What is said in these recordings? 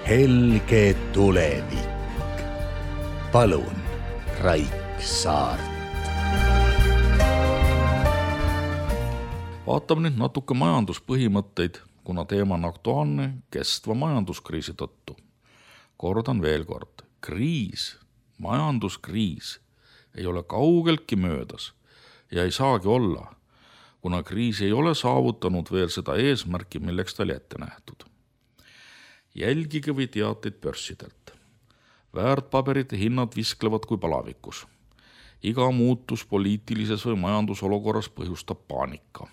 helge tulevik. Palun, Raik Saart. Vaatame nüüd natuke majanduspõhimõtteid, kuna teema on aktuaalne kestva majanduskriisi tõttu. Kordan veel kord, majanduskriis ei ole kaugeltki möödas ja ei saagi olla, kuna kriis ei ole saavutanud veel seda eesmärki, milleks ta oli ette nähtud. Jälgige või teateid börsidelt. Väärtpaberite hinnad visklevad kui palavikus. Iga muutus poliitilises või majandusolukorras põhjustab paanika.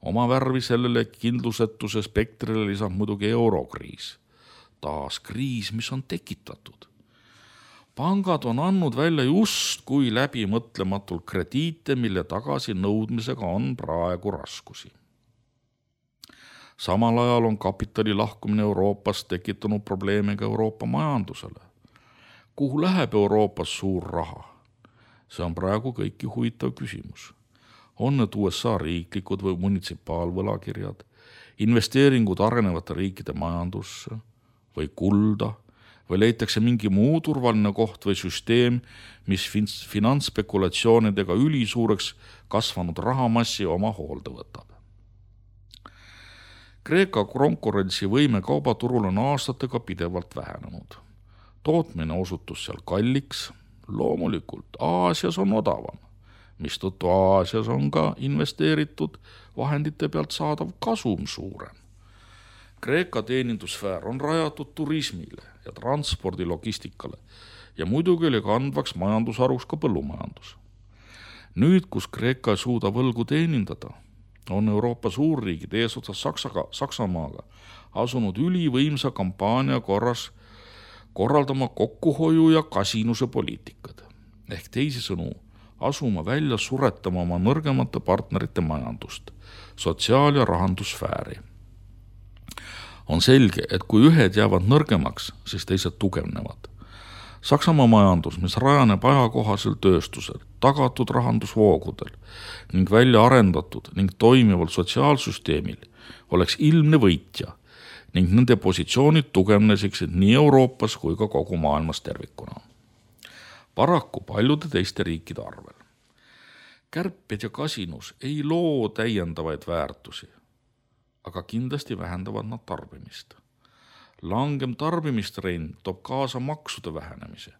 Oma värvi sellele kindlusetuse spektrile lisab muidugi eurokriis. Taas kriis, mis on tekitatud. Pangad on andnud välja just kui läbimõtlematult krediite, mille tagasi nõudmisega on praegu raskusi. Samal ajal on kapitali lahkumine Euroopast tekitanud probleemiga Euroopa majandusele. Kuhu läheb Euroopas suur raha? See on praegu kõiki huvitav küsimus. On need USA riiklikud või munitsipaalvõlakirjad, investeeringud arenevate riikide majandusse või kulda, või leitakse mingi muu turvaline koht või süsteem, mis finantsspekulatsioonidega ülisuureks kasvanud rahamassi oma hoolde võtab. Kreeka konkurentsivõime kaubaturul on aastatega pidevalt vähenenud. Tootmine osutus seal kalliks, loomulikult Aasias on odavam, mistõttu Aasias on ka investeeritud vahendite pealt saadav kasum suurem. Kreeka teenindussfäär on rajatud turismile ja transpordilogistikale ja muidugi oli kandvaks majandusharuks ka põllumajandus. Nüüd, kus Kreeka ei suuda võlgu teenindada, on Euroopa suurriigid eesotsas Saksamaaga asunud ülivõimsa kampaania korras korraldama kokkuhoiu ja kasinuse poliitikad. Ehk teisisõnu, asuma välja suretama oma nõrgemate partnerite majandust, sotsiaal- ja rahandussfääri. On selge, et kui ühed jäävad nõrgemaks, siis teised tugevnevad. Saksamaa majandus, mis rajaneb ajakohasel tööstusel, tagatud rahandusvoogudel ning välja arendatud ning toimival sotsiaalsüsteemil, oleks ilmne võitja ning nende positsioonid tugevnesiksid nii Euroopas kui ka kogu maailmas tervikuna. Paraku paljude teiste riikide arvel. Kärped ja kasinus ei loo täiendavaid väärtusi, aga kindlasti vähendavad nad tarbimist. Langem tarbimistrend toob kaasa maksude vähenemise,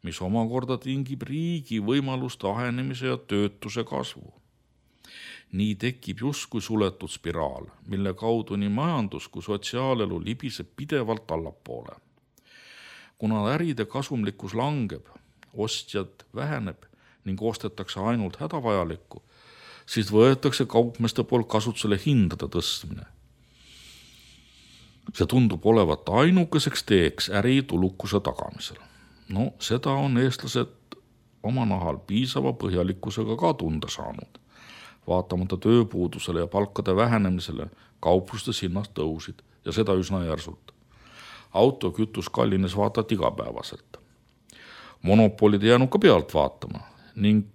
mis omakorda tingib riigi võimaluste ahenemise ja töötuse kasvu. Nii tekib justkui suletud spiraal, mille kaudu nii majandus kui sotsiaalelu libiseb pidevalt allapoole. Kuna äride kasumlikkus langeb, ostjad väheneb ning ostetakse ainult hädavajalikku, siis võetakse kaupmeeste poolt kasutusele hindade tõstmine. See tundub olevat ainukeseks teeks äritulukuse tagamisel. Seda on eestlased oma nahal piisava põhjalikkusega ka tunda saanud. Vaatamata tööpuudusele ja palkade vähenemisele kauplustes hinnad tõusid ja seda üsna järsult. Autokütus kallines vaatad igapäevaselt. Monopolid ei jäänud ka pealt vaatama ning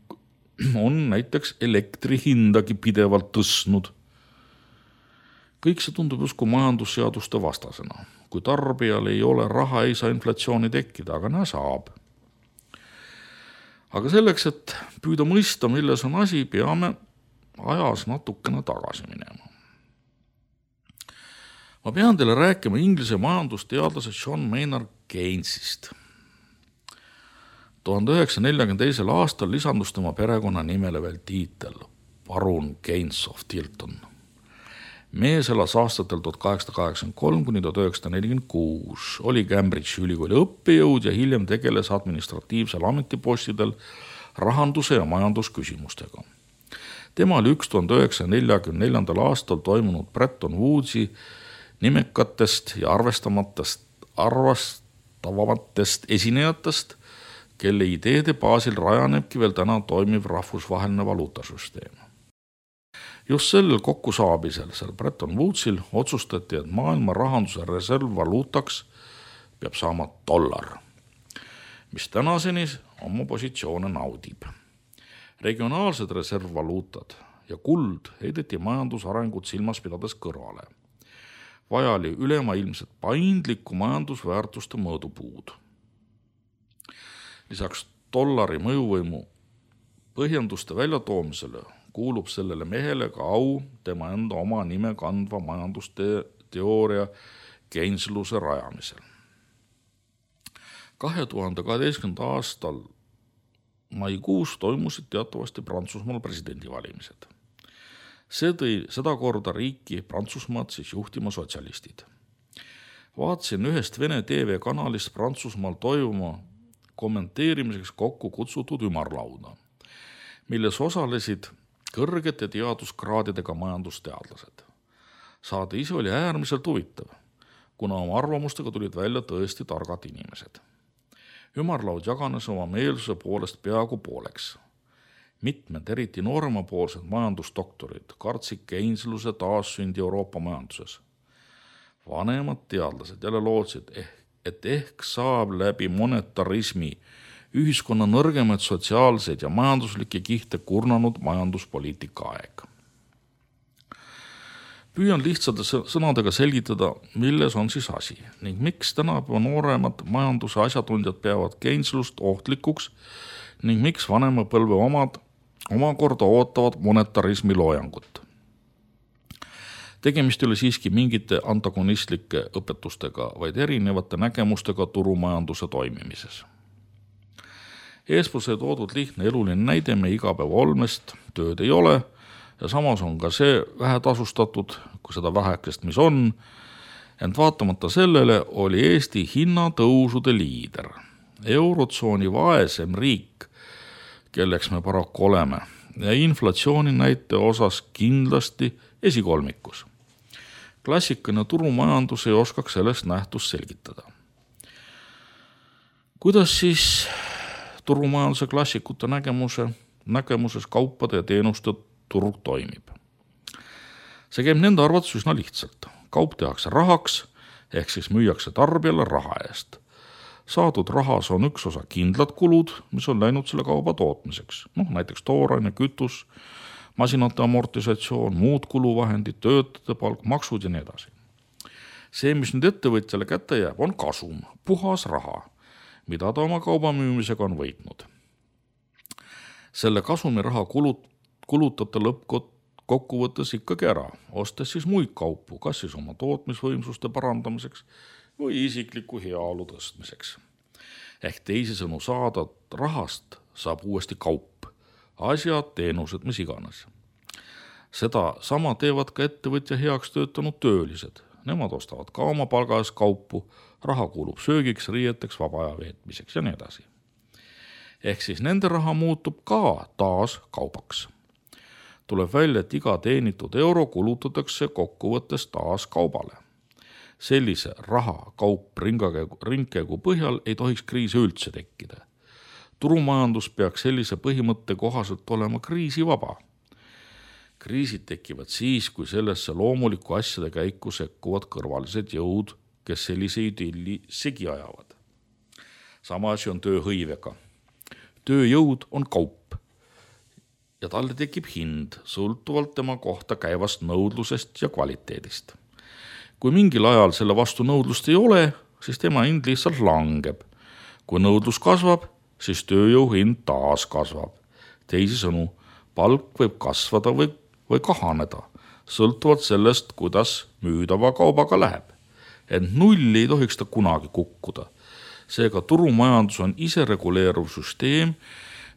on näiteks elektri hindagi pidevalt tõstnud. Kõik see tundub justkui majandusseaduste vastasena. Kui tarbijal ei ole raha, ei saa inflatsiooni tekkida, aga näe saab. Aga selleks, et püüda mõista, milles on asi, peame ajas natukene tagasi minema. Ma pean teile rääkima Inglise majandusteadlase John Maynard Keynesist. 1942. aastal lisandus tema perekonna nimele veel tiitel Baron Keynes of Tilton. Mees elas aastatel 1883–1946, oli Cambridge'i ülikooli õppejõud ja hiljem tegeles administratiivsel ametipostidel rahanduse ja majandusküsimustega. Tema oli 1944. aastal toimunud Bretton Woodsi nimekatest ja arvestavamatest esinejatest, kelle ideede baasil rajanebki veel täna toimiv rahvusvaheline valuutasüsteem. Just sellel kokkusaabisel, seal Bretton Woodsil, otsustati, et maailma rahanduse reservvaluutaks peab saama dollar, mis tänaseni oma positsioone naudib. Regionaalsed reservvaluutad ja kuld heideti majandusarengut silmas pidades kõrvale. vajali ülemaailmset paindlikku majandusväärtuste mõõdupuud. Lisaks dollari mõjuvõimu põhjenduste väljatoomisele kuulub sellele mehele ka au tema enda oma nime kandva majandusteooria Keynesluse rajamisel. 2012. aastal maikuus toimusid teatavasti Prantsusmaal presidendivalimised. See tõi seda korda riiki Prantsusmaad siis juhtima sotsialistid. Vaatasin ühest Vene TV-kanalist Prantsusmaal toimuma kommenteerimiseks kokku kutsutud ümarlauda, milles osalesid kõrgete teaduskraadidega majandusteadlased. Saade ise oli äärmiselt huvitav, kuna oma arvamustega tulid välja tõesti targad inimesed. Ümarlaud jaganes oma meelsuse poolest peaaegu pooleks. Mitmed, eriti nooremapoolsed majandusdoktorid kartsid Keynesluse taassündi Euroopa majanduses. Vanemad teadlased jälle lootsid, et ehk saab läbi monetarismi ühiskonna nõrgemaid sotsiaalseid ja majanduslikke kihte kurnanud majanduspoliitika aeg. Püüan lihtsate sõnadega selgitada, milles on siis asi ning miks tänapäeva nooremad majanduse asjatundjad peavad Keyneslust ohtlikuks ning miks vanema põlve omad omakorda ootavad monetarismi loojangut. Tegemist ei ole siiski mingite antagonistlike õpetustega, vaid erinevate nägemustega turumajanduse toimimises. Eespool sai toodud lihtne eluline näide meie igapäeva olmest, tööd ei ole ja samas on ka see vähetasustatud, kui seda vähekest, mis on, ent vaatamata sellele oli Eesti hinnatõusude liider, eurotsooni vaesem riik, kelleks me paraku oleme, ja inflatsiooni näite osas kindlasti esikolmikus. Klassikaline turumajandus ei oskaks sellest nähtust selgitada. Kuidas siis turumajanduse klassikute nägemuses kaupade ja teenuste turg toimib? See käib nende arvates üsna lihtsalt. Kaup tehakse rahaks, ehk siis müüakse tarbijale raha eest. Saadud rahas on üks osa kindlad kulud, mis on läinud selle kauba tootmiseks. Näiteks tooraine, kütus, masinate amortisatsioon, muud kuluvahendid, töötajate palk, maksud ja nii edasi. See, mis nüüd ettevõtjale kätte jääb, on kasum, puhas raha, mida ta oma kauba müümisega on võitnud. Selle kasumiraha kulutab ta lõppkokkuvõttes ikkagi ära, ostes siis muid kaupu, kas siis oma tootmisvõimsuste parandamiseks või isikliku heaolu tõstmiseks. Ehk teisisõnu saada rahast saab uuesti kaup, asjad, teenused, mis iganes. Seda sama teevad ka ettevõtja heaks töötanud töölised. Nemad ostavad ka oma palga eest kaupu, raha kuulub söögiks, riieteks, vaba aja veetmiseks ja nii edasi. Ehk siis nende raha muutub ka taas kaubaks. Tuleb välja, et iga teenitud euro kulutatakse kokkuvõttes taas kaubale. Sellise raha kaup ringkäigu põhjal ei tohiks kriisi üldse tekkida. Turumajandus peaks sellise põhimõtte kohaselt olema kriisivaba. Kriisid tekivad siis, kui sellesse loomuliku asjade käiku sekkuvad kõrvalised jõud, kes sellise idilli segi ajavad. Sama asi on tööhõivega. Tööjõud on kaup ja talle tekib hind sõltuvalt tema kohta käivast nõudlusest ja kvaliteedist. Kui mingil ajal selle vastu nõudlust ei ole, siis tema hind lihtsalt langeb. Kui nõudlus kasvab, siis tööjõu hind taas kasvab. Teisisõnu, palk võib kasvada või kahaneda, sõltuvalt sellest, kuidas müüdava kaubaga läheb. Ent nulli ei tohiks ta kunagi kukkuda. Seega turumajandus on isereguleeruv süsteem,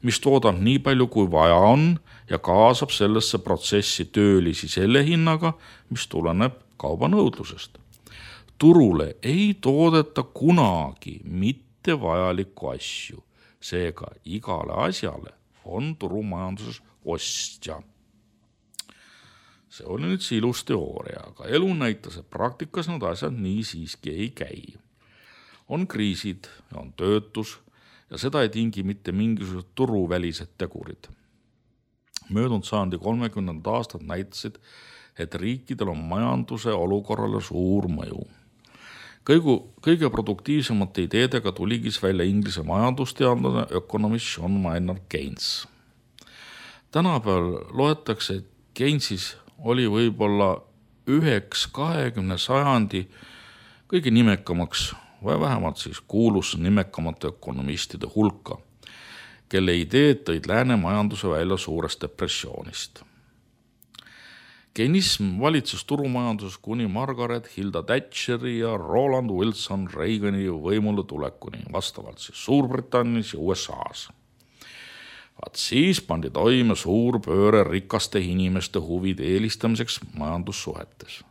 mis toodab nii palju kui vaja on ja kaasab sellesse protsessi töölisi selle hinnaga, mis tuleneb kauba nõudlusest. Turule ei toodeta kunagi mitte vajalikku asju, seega igale asjale on turumajanduses ostja. See oli nüüd see ilus teooria, aga elu näitas, et praktikas need asjad nii siiski ei käi. On kriisid ja on töötus ja seda ei tingi mitte mingisugused turuvälised tegurid. Möödunud sajandi 30. aastad näitasid, et riikidel on majanduse olukorrale suur mõju. Kõige produktiivsemate ideedega tuligis välja Inglise majandusteadlane ökonomist John Maynard Keynes. Tänapäeval loetakse, et Keynesis oli võib-olla üheks 20. sajandi kõige nimekamaks või vähemalt siis kuulus nimekamate ökonomistide hulka, kelle ideed tõid lääne majanduse välja suurest depressioonist. Keynism valitses turumajanduses kuni Margaret Hilda Thatcheri ja Roland Wilson Reagani võimule tulekuni, vastavalt siis Suurbritannias ja USAs. Vaat siis pandi toime suur pööre rikaste inimeste huvide eelistamiseks majandussuhetes.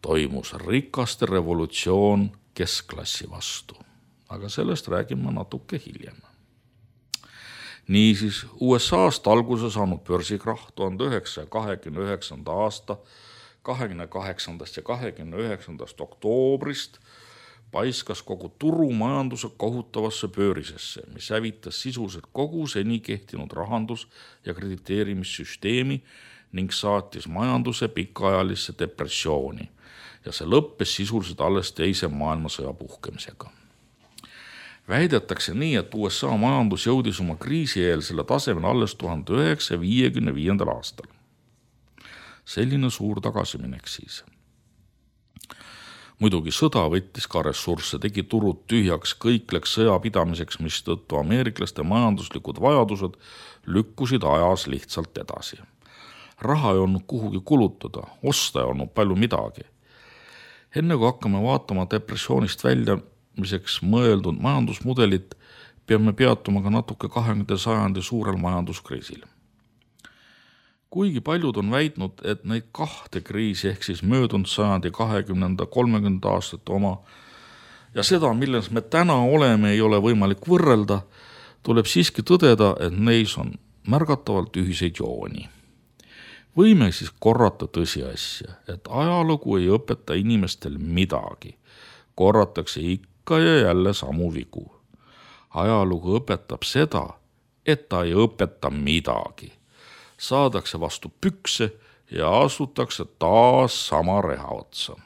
Toimus rikaste revolutsioon keskklassi vastu, aga sellest räägime natuke hiljem. Niisiis, USA-st alguse saanud börsikrahh 1929. aasta 28. ja 29. oktoobrist paiskas kogu turumajanduse kohutavasse pöörisesse, mis hävitas sisuliselt kogu seni kehtinud rahandus- ja krediteerimissüsteemi ning saatis majanduse pikaajalisse depressiooni ja see lõppes sisuliselt alles teise maailmasõja puhkemisega. Väidetakse nii, et USA majandus jõudis oma kriisieelsele tasemele alles 1955. aastal. Selline suur tagasiminek siis. Muidugi sõda võttis ka ressursse, tegi turud tühjaks, kõik läks sõja pidamiseks, mistõttu ameeriklaste majanduslikud vajadused lükkusid ajas lihtsalt edasi. Raha ei olnud kuhugi kulutada, osta ei olnud palju midagi. Enne kui hakkame vaatama depressioonist väljamiseks mõeldud majandusmudelit, peame peatuma ka natuke 20. sajandi suurel majanduskriisil. Kuigi paljud on väitnud, et neid kahte kriisi ehk siis möödunud sajandi 20. 30. aastate oma ja seda, milles me täna oleme, ei ole võimalik võrrelda, tuleb siiski tõdeda, et neis on märgatavalt ühiseid jooni. Võime siis korrata tõsiasja, et ajalugu ei õpeta inimestel midagi. Korratakse ikka ja jälle samu vigu. Ajalugu õpetab seda, et ta ei õpeta midagi. Saadakse vastu pükse ja asutakse taas sama reha otsa.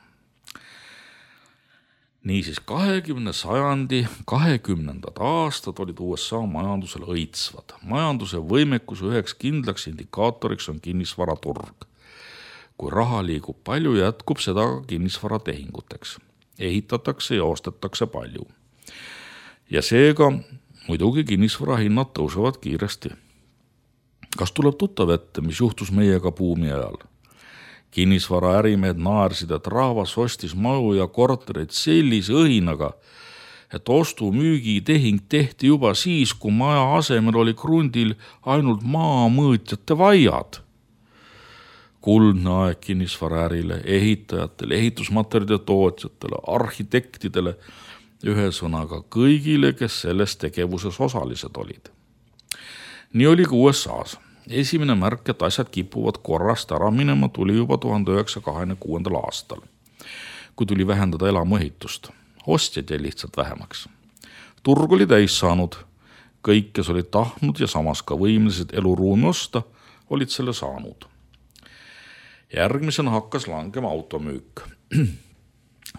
Niisiis 20. sajandi 20. aastad olid USA majandusele õitsvad. Majanduse võimekuse üheks kindlaks indikaatoriks on kinnisvaraturg. Kui raha liigub palju, jätkub seda ka kinnisvaratehinguteks. Ehitatakse ja ostetakse palju. Ja seega muidugi kinnisvarahinnad tõusevad kiiresti. Kas tuleb tuttav ette, mis juhtus meiega buumi ajal? Kinnisvaraärimehed naersid, et rahvas ostis maju ja kortereid sellise õhinaga, et ostu-müügi tehing tehti juba siis, kui maja asemel oli krundil ainult maamõõtjate vaiad. Kuldne aeg kinnisvaraärile, ehitajatele, ehitusmaterjalide tootjatele, arhitektidele, ühesõnaga kõigile, kes selles tegevuses osalised olid. Nii oli ka USA-s. Esimene märk, et asjad kipuvad korrast ära minema, tuli juba 1926. aastal, kui tuli vähendada elamuehitust. Ostjad jäi lihtsalt vähemaks. Turg oli täis saanud. Kõik, kes olid tahtnud ja samas ka võimelised eluruumi osta, olid selle saanud. Järgmisena hakkas langema automüük.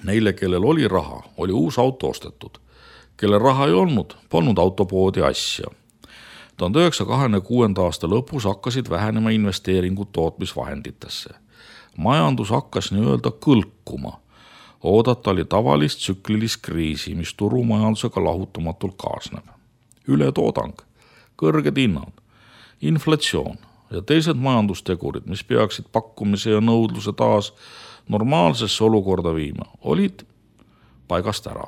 Neile, kellel oli raha, oli uus auto ostetud. Kelle raha ei olnud, polnud autopoodi asja. 1926. aasta lõpus hakkasid vähenema investeeringud tootmisvahenditesse. Majandus hakkas nii-öelda kõlkuma. Oodata oli tavalist tsüklilist kriisi, mis turumajandusega lahutamatult kaasneb. Ületoodang, kõrged hinnad, inflatsioon ja teised majandustegurid, mis peaksid pakkumise ja nõudluse taas normaalsesse olukorda viima, olid paigast ära.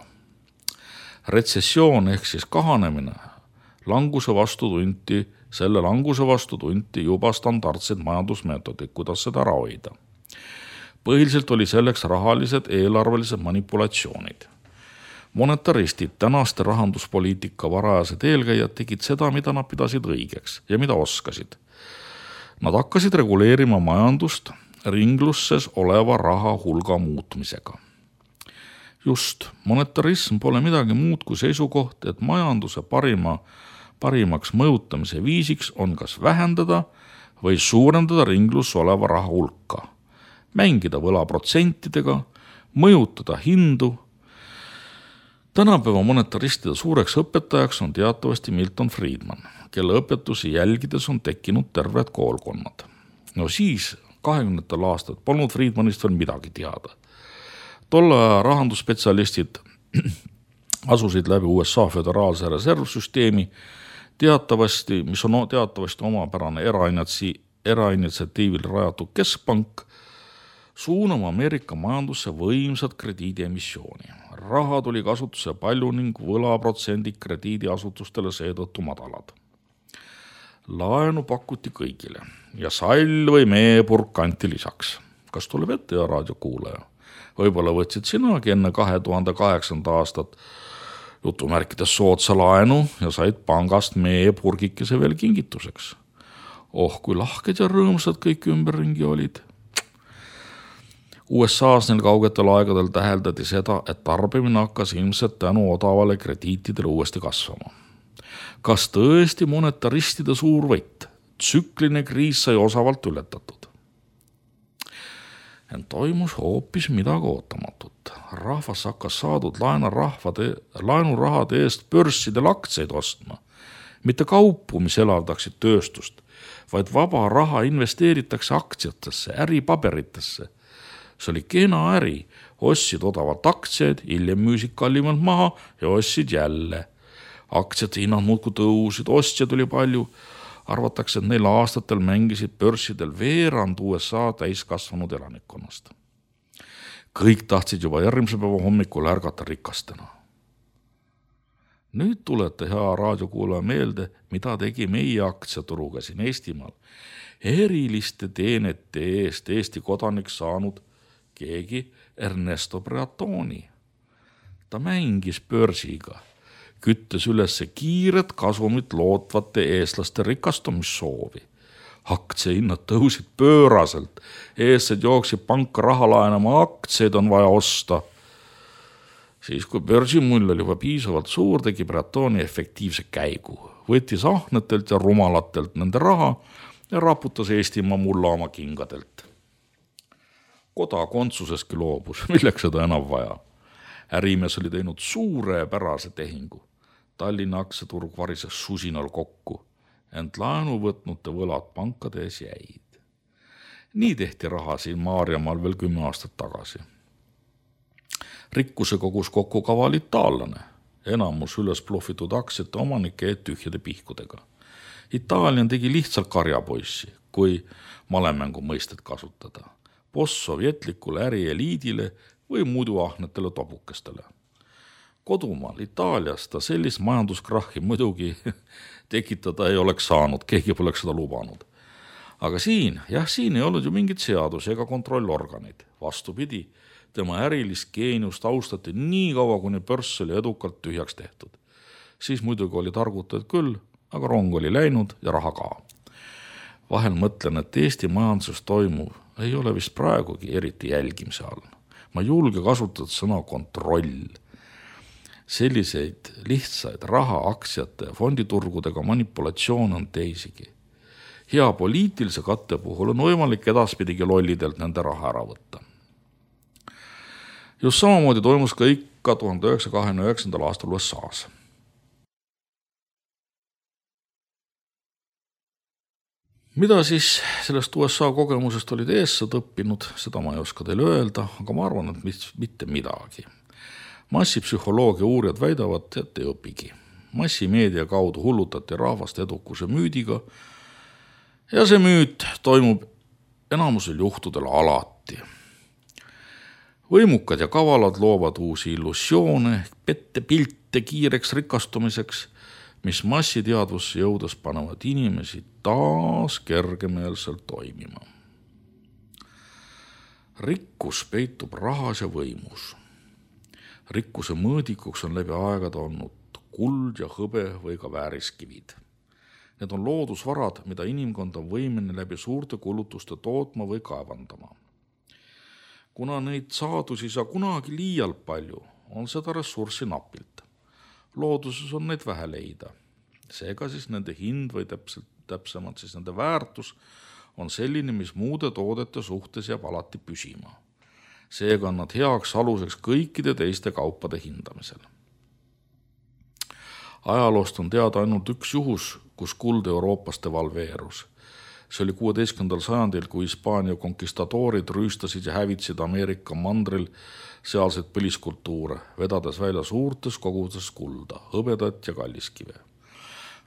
Retsessioon ehk siis kahanemine, selle languse vastu tunti juba standardseid majandusmeetodid, kuidas seda ära hoida. Põhiliselt oli selleks rahalised eelarvelised manipulatsioonid. Monetaristid, tänaste rahanduspoliitika varajased eelkäijad tegid seda, mida nad pidasid õigeks ja mida oskasid. Nad hakkasid reguleerima majandust ringlusses oleva raha hulga muutmisega. Just, monetarism pole midagi muud kui seisukoht, et majanduse parimaks mõjutamise viisiks on kas vähendada või suurendada ringlus oleva raha hulka, mängida võlaprotsentidega, mõjutada hindu. Tänapäeva monetaristide suureks õpetajaks on teatavasti Milton Friedman, kelle õpetusi jälgides on tekkinud terved koolkonnad. No siis 20. aastat polnud Friedmanist veel midagi teada. Tolle aja rahandusspetsialistid asusid läbi USA föderaalse reservsüsteemi, mis on teatavasti omapärane erainitsiatiivil rajatud keskpank, suunama Ameerika majandusse võimsat krediidiemissiooni. Raha tuli kasutusse palju ning võlaprotsendid krediidiasutustele seetõttu madalad. Laenu pakuti kõigile ja sall või meepurk anti lisaks. Kas tuleb ette ja raadiokuulaja? Võib-olla võtsid sinagi enne 2008. aastat jutumärkides soodsa laenu ja said pangast meepurgikese veel kingituseks. Kui lahked ja rõõmsad kõik ümberringi olid. USA-s neil kaugetel aegadel täheldati seda, et tarbimine hakkas ilmselt tänu odavale krediitidele uuesti kasvama. Kas tõesti monetaristide suur võit? Tsükline kriis sai osavalt ületatud. Ent toimus hoopis midagi ootamatut. Rahvas hakkas saadud laenurahade eest börssidel aktsiaid ostma. Mitte kaupu, mis elavdaksid tööstust, vaid vaba raha investeeritakse aktsiatesse, äripaberitesse. See oli kena äri, ostsid odavalt aktsiaid, hiljem müüsid kallimalt maha ja ostsid jälle. Aktsiate hinnad muudkui tõusid, ostjaid oli palju. Arvatakse, et neil aastatel mängisid börsidel veerand USA täiskasvanud elanikkonnast. Kõik tahtsid juba järgmise päeva hommikul ärgata rikastena. Nüüd tulete hea raadiokuulaja meelde, mida tegi meie aktsiaturuga siin Eestimaal. Eriliste teenete eest Eesti kodanik saanud keegi Ernesto Breatoni. Ta mängis börsiga, küttes üles kiiret kasumit lootvate eestlaste rikastumissoovi. Aktsiahinnad tõusid pööraselt, eestlased jooksid panka raha laenama, aktsiaid on vaja osta. Siis kui börsimull oli juba piisavalt suur, tegi Breatoni efektiivse käigu. Võttis ahnetelt ja rumalatelt nende raha ja raputas Eestimaa mulla oma kingadelt. Kodakondsuseski loobus, milleks seda enam vaja. Ärimees oli teinud suurepärase tehingu. Tallinna aktsiaturg varises susinal kokku, ent laenu võtnute võlad pankade ees jäid. Nii tehti raha siin Maarjamaal veel 10 aastat tagasi. Rikkuse kogus kokku kaval itaallane, enamus üles pluffitud aktsiate omanike eed tühjade pihkudega. Itaalian tegi lihtsalt karjapoissi, kui malemängu mõistet kasutada. Postsovjetlikule ärieliidile või muidu ahnetele topukestele. Kodumaal Itaalias ta sellist majanduskrahhi muidugi tekitada ei oleks saanud, keegi poleks seda lubanud. Aga siin ei olnud ju mingit seadus ega kontrollorganid. Vastupidi, tema ärilist geeniust austati nii kaua, kuni börs oli edukalt tühjaks tehtud. Siis muidugi oli targutajad küll, aga rong oli läinud ja raha ka. Vahel mõtlen, et Eesti majanduses toimuv ei ole vist praegugi eriti jälgimise all. Ma julge kasutada sõna kontroll. Selliseid lihtsaid raha, aktsiate ja fonditurgudega manipulatsioon on teisigi. Hea poliitilise katte puhul on võimalik edaspidigi lollidelt nende raha ära võtta. Just samamoodi toimus ka ikka 1929. aastal USA-s. Mida siis sellest USA kogemusest olid eessad õppinud, seda ma ei oska teile öelda, aga ma arvan, et mitte midagi. Massipsühholoogia uurijad väidavad, et ei õpigi. Massimeedia kaudu hullutati rahvast edukuse müüdiga ja see müüt toimub enamusel juhtudel alati. Võimukad ja kavalad loovad uusi illusioone, pettepilte kiireks rikastumiseks, mis massiteadvusse jõudes panevad inimesi taas kergemeelselt toimima. Rikkus peitub rahas ja võimus. Rikkuse mõõdikuks on läbi aegade olnud kuld ja hõbe või ka vääriskivid. Need on loodusvarad, mida inimkond on võimeline läbi suurte kulutuste tootma või kaevandama. Kuna neid saadusi saa kunagi liialt palju, on seda ressurssi napilt. Looduses on neid vähe leida. Seega siis nende hind või täpsemalt siis nende väärtus on selline, mis muude toodete suhtes jääb alati püsima. Seega on nad heaks aluseks kõikide teiste kaupade hindamisel. Ajaloost on teada ainult üks juhus, kus kuld Euroopas devalveerus. See oli 16. sajandil, kui Hispaania konkistadoorid rüüstasid ja hävitasid Ameerika mandril sealseid põliskultuure, vedades välja suurtes koguses kulda, hõbedat ja kalliskive.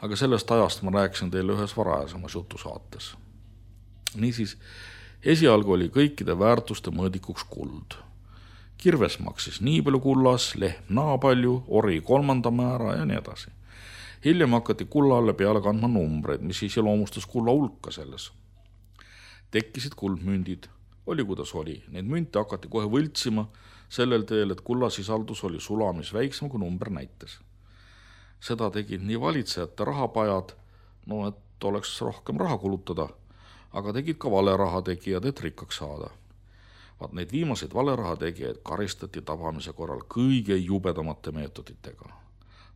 Aga sellest ajast ma rääkisin teile ühes varajasemas jutusaates. Niisiis, esialgu oli kõikide väärtuste mõõdikuks kuld. Kirves maksis nii palju kullas, lehm naa palju, ori 3. määra ja nii edasi. Hiljem hakati kullalle peale kandma numbreid, mis iseloomustas kulla hulka selles. Tekkisid kuldmündid, oli kuidas oli. Neid münte hakati kohe võltsima sellel teel, et kullasisaldus oli sulamis väiksem kui number näites. Seda tegid nii valitsejate rahapajad, et oleks rohkem raha kulutada, aga tegid ka valeraha tegijad, et rikkaks saada. Vaat neid viimaseid valeraha tegijaid karistati tabamise korral kõige jubedamate meetoditega.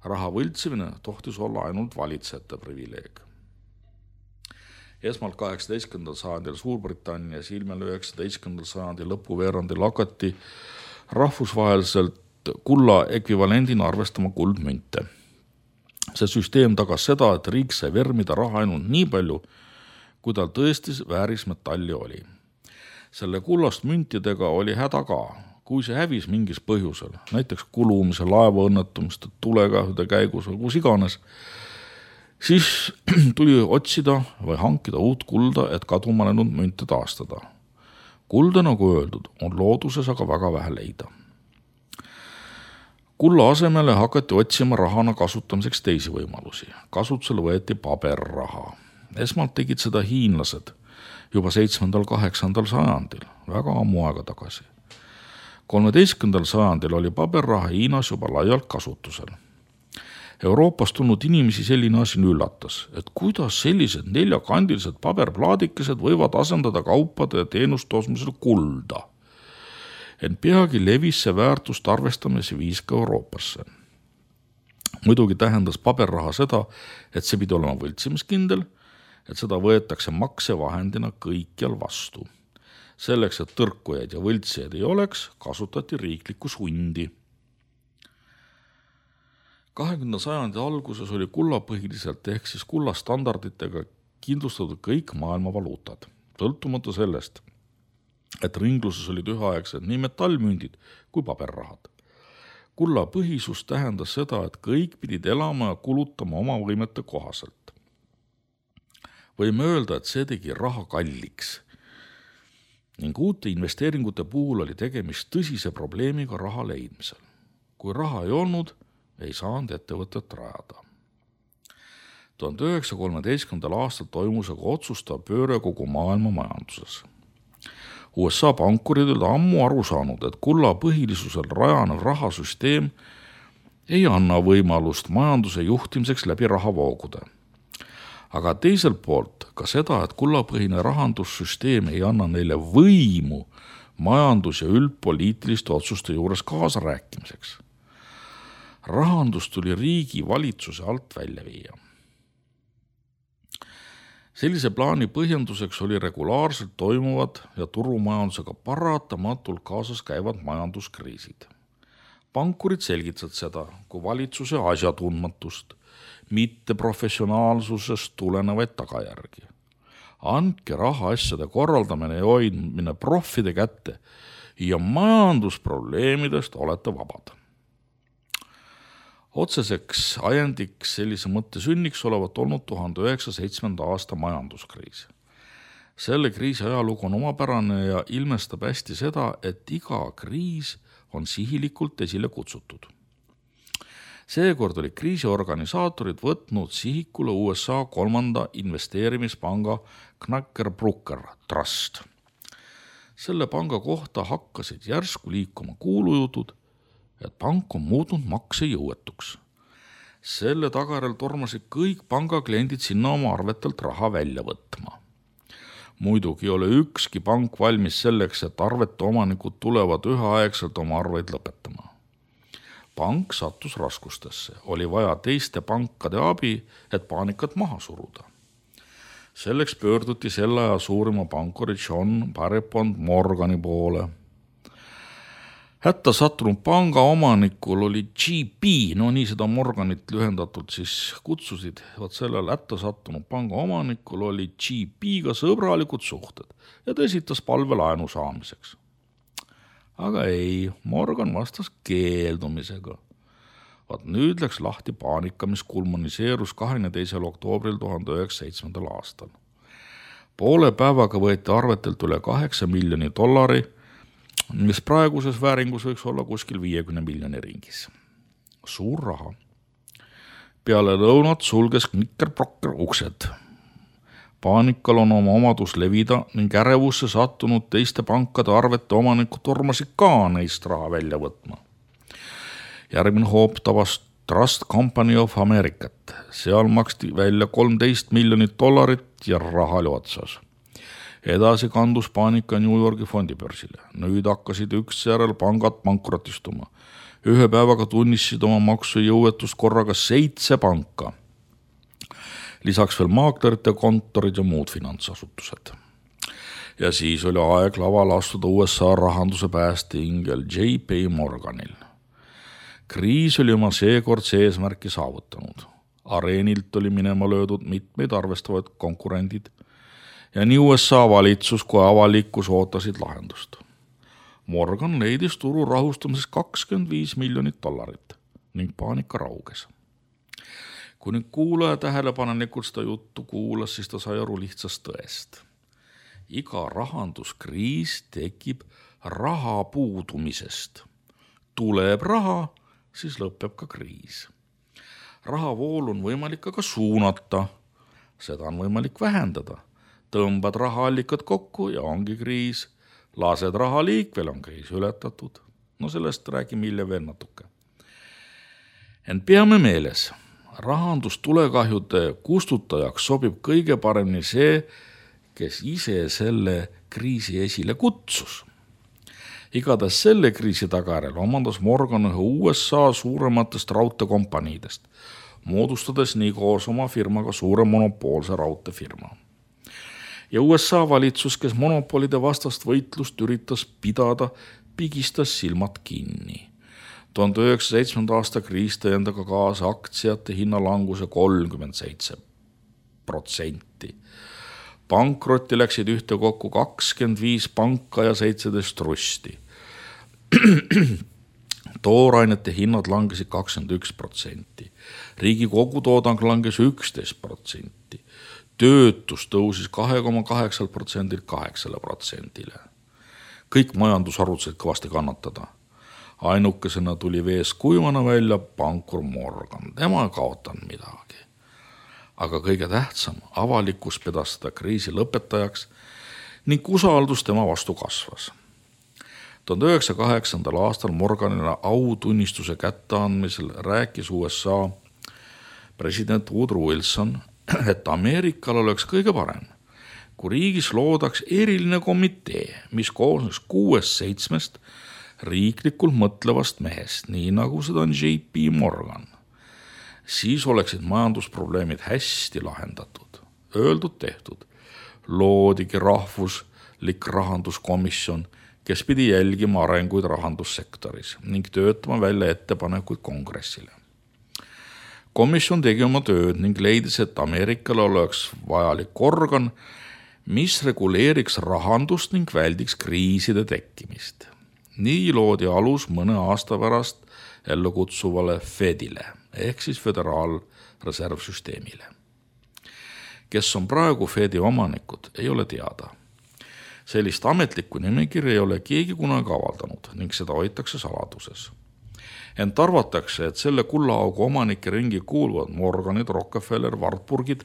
Raha võltsimine tohtis olla ainult valitsejate privileeg. Esmalt 18. sajandil Suurbritannias, ilmel 19. sajandi lõpuveerandil hakati rahvusvaheliselt kulla ekvivalendina arvestama kuldmünte. See süsteem tagas seda, et riik sai vermida raha ainult nii palju, kui tal tõesti vääris metalli oli. Selle kullast müntidega oli häda ka. Kui see hävis mingis põhjusel, näiteks kulumise, laevaõnnetumiste, tulekahjude käigus või kus iganes, siis tuli otsida või hankida uut kulda, et kaduma läinud münte taastada. Kulda, nagu öeldud, on looduses aga väga vähe leida. Kulla asemele hakati otsima rahana kasutamiseks teisi võimalusi. Kasutusele võeti paberraha. Esmalt tegid seda hiinlased juba 7.–8. sajandil, väga ammu aega tagasi. 13. sajandil oli paberraha Hiinas juba laialt kasutusel. Euroopas tulnud inimesi selline asi üllatas, et kuidas sellised 4-kandilised paberplaadikesed võivad asendada kaupade ja teenuste ostmisel kulda. Ent peagi levis see väärtust arvestamise viis ka Euroopasse. Muidugi tähendas paberraha seda, et see pidi olema võltsimiskindel, et seda võetakse maksevahendina kõikjal vastu. Selleks, et tõrkujaid ja võltsijaid ei oleks, kasutati riiklikku sundi. 20. sajandi alguses oli kullapõhiliselt ehk siis kullastandarditega kindlustatud kõik maailma valuutad, sõltumata sellest, et ringluses olid üheaegsed nii metallmündid kui paberrahad. Kullapõhisus tähendas seda, et kõik pidid elama ja kulutama oma võimete kohaselt. Võime öelda, et see tegi raha kalliks. Ning uute investeeringute puhul oli tegemist tõsise probleemiga raha leidmisel. Kui raha ei olnud, ei saanud ettevõtet rajada. 1913. aastal toimus aga otsustav pööre kogu maailma majanduses. USA pankurid olid ammu aru saanud, et kulla põhilisusel rajanev rahasüsteem ei anna võimalust majanduse juhtimiseks läbi rahavoogude. Aga teiselt poolt ka seda, et kullapõhine rahandussüsteem ei anna neile võimu majandus- ja üldpoliitiliste otsuste juures kaasa rääkimiseks. Rahandus tuli riigi valitsuse alt välja viia. Sellise plaani põhjenduseks oli regulaarselt toimuvad ja turumajandusega paratamatult kaasas käivad majanduskriisid. Pankurid selgitasid seda kui valitsuse asjatundmatust, mitte professionaalsusest tulenevaid tagajärgi. Andke rahaasjade korraldamine ja hoidmine proffide kätte ja majandusprobleemidest olete vabad. Otseseks ajendiks sellise mõtte sünniks olevat olnud 1907. aasta majanduskriis. Selle kriisi ajalugu on omapärane ja ilmestab hästi seda, et iga kriis on sihilikult esile kutsutud. Seekord oli kriisiorganisaatorid võtnud sihikule USA 3. investeerimispanga Knacker-Brucker Trust. Selle panga kohta hakkasid järsku liikuma kuulujutud, et pank on muutnud maksejõuetuks. Selle tagajärjel tormasid kõik pangakliendid sinna oma arvetelt raha välja võtma. Muidugi ei ole ükski pank valmis selleks, et arvete omanikud tulevad üheaegselt oma arveid lõpetama. Pank sattus raskustesse, oli vaja teiste pankade abi, et paanikat maha suruda. Selleks pöörduti selle aja suurima pankuri John Pierpont Morgani poole. Hätta sattunud panga omanikul oli GP, no nii seda Morganit lühendatult siis kutsusid, vaat sellel hätta sattunud panga omanikul oli GP-ga sõbralikud suhted ja ta esitas palve laenu saamiseks. Aga ei, Morgan vastas keeldumisega. Vaat nüüd läks lahti paanika, mis kulminiseerus 22. oktoobril 1907. aastal. Poole päevaga võeti arvetelt üle $8 miljoni, mis praeguses vääringus võiks olla kuskil 50 miljoni ringis. Suur raha. Peale lõunat sulges Knicker-Procker uksed. Paanikal on oma omadus levida ning ärevusse sattunud teiste pankade arvete omanikud tormasid ka neist raha välja võtma. Järgmine hoop tabas Trust Company of Americat. Seal maksti välja $13 miljonit ja raha oli otsas. Edasi kandus paanika New Yorgi fondibörsile. Nüüd hakkasid üksjärel pangad pankrotistuma. Ühe päevaga tunnistasid oma maksujõuetust korraga 7 panka. Lisaks veel maaklerite kontorid ja muud finantsasutused. Ja siis oli aeg laval astuda USA rahanduse päästeingel J.P. Morganil. Kriis oli oma seekordse eesmärki saavutanud. Areenilt oli minema löödud mitmeid arvestavad konkurendid ja nii USA valitsus kui avalikkus ootasid lahendust. Morgan leidis turu rahustamises $25 miljonit ning paanika rauges. Kui nüüd kuulaja tähelepanelikult seda juttu kuulas, siis ta sai aru lihtsast tõest. Iga rahanduskriis tekib raha puudumisest. Tuleb raha, siis lõpeb ka kriis. Rahavool on võimalik aga suunata, seda on võimalik vähendada. Tõmbad rahaallikad kokku ja ongi kriis. Lased raha liikvel, on kriis ületatud. No sellest räägime hiljem veel natuke. Ent peame meeles, rahandustulekahjude kustutajaks sobib kõige paremini see, kes ise selle kriisi esile kutsus. Igatahes selle kriisi tagajärjel omandas Morgan ühe USA suurematest raudteekompaniidest, moodustades nii koos oma firmaga suure monopoolse raudteefirma. Ja USA valitsus, kes monopolide vastast võitlust üritas pidada, pigistas silmad kinni. 1907. aasta kriis tõi endaga kaasa aktsiate hinnalanguse 37%. Pankrotti läksid ühtekokku 25 panka ja 17 trusti. Toorainete hinnad langesid 21%. Riigi kogutoodang langes 11%. Töötus tõusis 2,8%-lt 8%-le. Kõik majandusharud said kõvasti kannatada. Ainukesena tuli vees kuivana välja pankur Morgan. Tema ei kaotanud midagi. Aga kõige tähtsam, avalikkus pedas seda kriisi lõpetajaks ning usaldus tema vastu kasvas. 1908. aastal Morganile autunnistuse kätteandmisel rääkis USA president Woodrow Wilson, et Ameerikal oleks kõige parem, kui riigis loodaks eriline komitee, mis koosnes 6-7 riiklikult mõtlevast mehest, nii nagu seda on J.P. Morgan. Siis oleksid majandusprobleemid hästi lahendatud. Öeldud tehtud. Loodigi rahvuslik rahanduskomisjon, kes pidi jälgima arenguid rahandussektoris ning töötama välja ettepanekuid kongressile. Komisjon tegi oma tööd ning leidis, et Ameerikal oleks vajalik organ, mis reguleeriks rahandust ning väldiks kriiside tekkimist. Nii loodi alus mõne aasta pärast ellu kutsuvale Fedile ehk siis föderaalreservsüsteemile. Kes on praegu Fedi omanikud, ei ole teada. Sellist ametlikku nimekirja ei ole keegi kunagi avaldanud ning seda hoitakse saladuses. Ent arvatakse, et selle kullaaugu omanike ringi kuuluvad Morganid, Rockefeller, Wartburgid,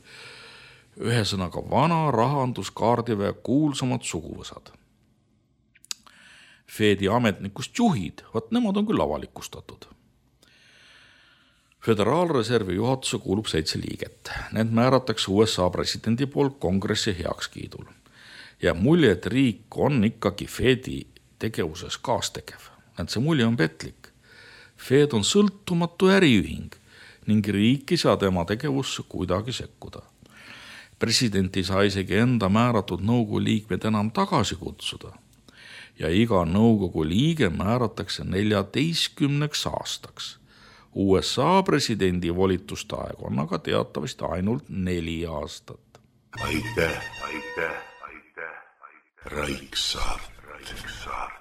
ühesõnaga vana rahanduskaardiväe kuulsamad suguvõsad. Fedi ametnikust juhid, vaat nemad on küll avalikustatud. Föderaalreservi juhatuse kuulub 7 liiget. Need määratakse USA presidendi poolt kongressi heakskiidul. Ja mulje, et riik on ikkagi Fedi tegevuses kaastegev. Ent see mulje on petlik. Fed on sõltumatu äriühing ning riik ei saa tema tegevusse kuidagi sekkuda. President ei saa isegi enda määratud nõukogu liikmed enam tagasi kutsuda. ja iga nõukogu liige määratakse 14 aastaks. USA presidendi volituste aeg on aga teatavasti ainult 4 aastat. Aitäh, Raik Saart.